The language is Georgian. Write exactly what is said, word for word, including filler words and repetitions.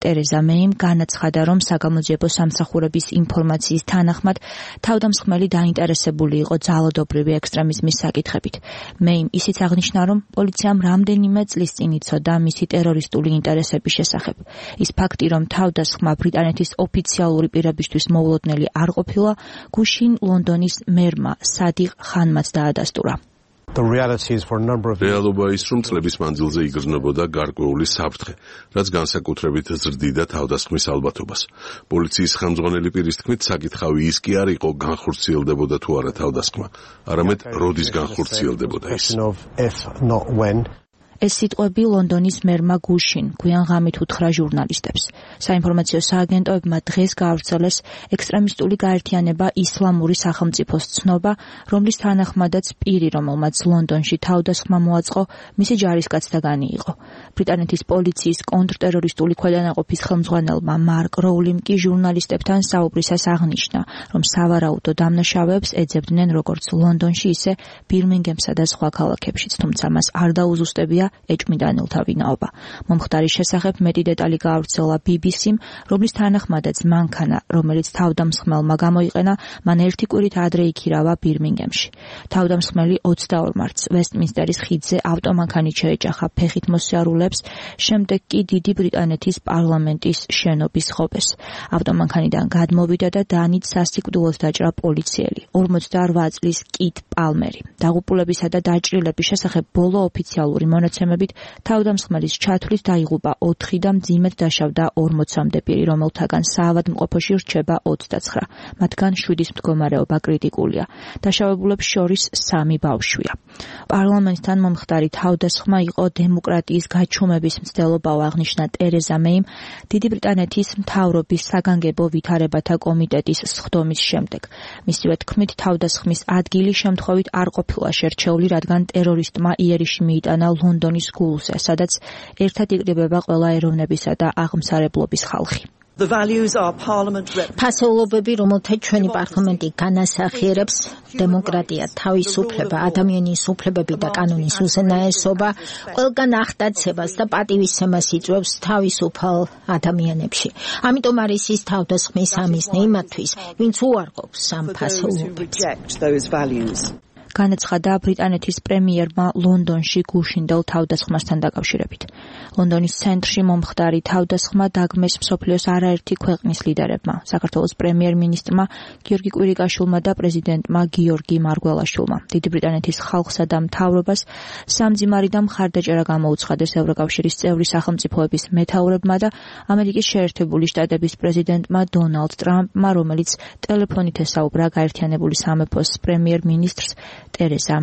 ტერეზა მეიმ განაცხადა, რომ საგამოძიებო სამსახურების ინფორმაციის თანახმად თავდამსხმელი დაინტერესებული იყო ძალადობრივი ექსტრემიზმის საკითხებით. მეიმ ისიც აღნიშნა, რომ პოლიციამ რამდენიმე წლის წინ იცოდა მისი ტერორისტული ინტერესების შესახებ. ის ფაქტი, რომ თავდასხმა ბრიტანეთის ოფიციალური პირებისთვის მოულოდნელი არ ყოფილა, გუშინ ლონდონის მერმა სადიყ ხანმაც დაადასტურა. რეალობა ის, რომ წლების მანძილზე იგრძნობოდა გარკვეული საფრთხე, რაც განსაკუთრებით ზრდიდა თავდასხმის ალბათობას. პოლიციის ხელმძღვანელი პირის თქმით, საკითხავი ის კი არ იყო განხორციელდებოდა თუ არა თავდასხმა, არამედ როდის განხორციელდებოდა ის. ეს სიტყვები ლონდონის მერმა გუშინ გვიან ღამით უთხრა ჟურნალისტებს. საინფორმაციო სააგენტოებმა დღეს გაავრცელეს ექსტრემისტული გაერთიანება ისლამური სახელმწიფოს ცნობა, რომლის თანახმადაც პირი, რომელმაც ლონდონში თავდასხმა მოაწყო, მისი ჯარისკაცთაგანი იყო. ბრიტანეთის პოლიციის კონტრტერორისტული ქვედანაყოფის ხელმძღვანელმა მარკ როულიმ კი ჟურნალისტებთან საუბრისას აღნიშნა, რომ სავარაუდო დამნაშავეებს ეძებდნენ როგორც ლონდონში, ისე ბირმინგემსა და სხვა ქალაქებშიც, თუმცა მას არ დაუზუსტებია ეჭვმიტანილთა ვინაობა. მომხდარის შესახებ მეტი დეტალი გაავრცელა ბი ბი სიმ, რომლის თანახმადაც მანქანა, რომელიც თავდამსხმელმა გამოიყენა, მან ერთი კვირით ადრე იქირავა ბირმინგემში. თავდამსხმელი ოცდაორ მარტს ვესტმინსტერის ხიდზე ავტომანქანით შეეჯახა ფეხით მოსიარულეებს, შემდეგ კი დიდი ბრიტანეთის პარლამენტის შენობის ღობეს. ავტომანქანიდან გადმოვიდა და დანით სასიკვდილოდ დაჭრა პოლიციელი, ორმოცდაორ წლის კით პალმერი. დაღუპულებისა და დაჭრილების შესახებ ბოლო ოფიციალური მონაცემებით თავდამსხმელის ჩათვლით დაიღუპა ოთხი და მძიმედ დაშავდა ორმოცამდე პირი, რომელთაგან საავადმყოფოში რჩება ოცდაცხრა. მათგან შვიდის მდგომარეობა კრიტიკულია. დაშავებულებს შორის სამი ბავშვია. პარლამენტთან მომხდარი თავდასხმა იყო დემოკრატიის გაჩუმების მცდელობაო, აღნიშნა ტერეზა მეიმ დიდი ბრიტანეთის მთავრობის საგანგებო ვითარებათა კომიტეტის სხდომის შემდეგ. მისივე თქმით, თავდასხმის ადგილი შემთხვევით არ ყოფილა შერჩეული, რადგან ტერორისტმა იერიში მიიტანა ლონდონის გულზე, სადაც ერთად იკრიბება ყველა ეროვნებისა და აღმსარებლობის ხალხი. ფასეულობები, რომელთა ჩვენი პარლამენტი განასახიერებს, დემოკრატია, თავისუფლება, ადამიანის უფლებები და კანონის უზენაესობა, ყველგან ახტაცებას და პატივისცემას იწვევს თავისუფალ ადამიანებში. ამიტომ არის ის თავდასხმის ამიზნე იმათთვის, ვინც უარყოფს ამ ფასეულობებს. განაცხადა ბრიტანეთის პრემიერმა ლონდონში გუშინდელ თავდასხმასთან დაკავშირებით. ლონდონის ცენტრში მომხდარი თავდასხმა დაგმეს მსოფლიოს არაერთი ქვეყნის ლიდერებმა, საქართველოს პრემიერ-მინისტრმა გიორგი კვირიკაშვილმა და პრეზიდენტმა გიორგი მარგველაშვილმა. დიდი ბრიტანეთის ხალხსა და მთავრობას სამძიმარი და მხარდაჭერა გამოუცხადეს ევროკავშირის წევრი სახელმწიფოების მეთაურებმა და ამერიკის შეერთებული შტატების პრეზიდენტმა დონალდ ტრამპმა, რომელიც ტელეფონით ესაუბრა გაერთიანებული სამეფოს პრემიერ-მინისტრს ტერეზა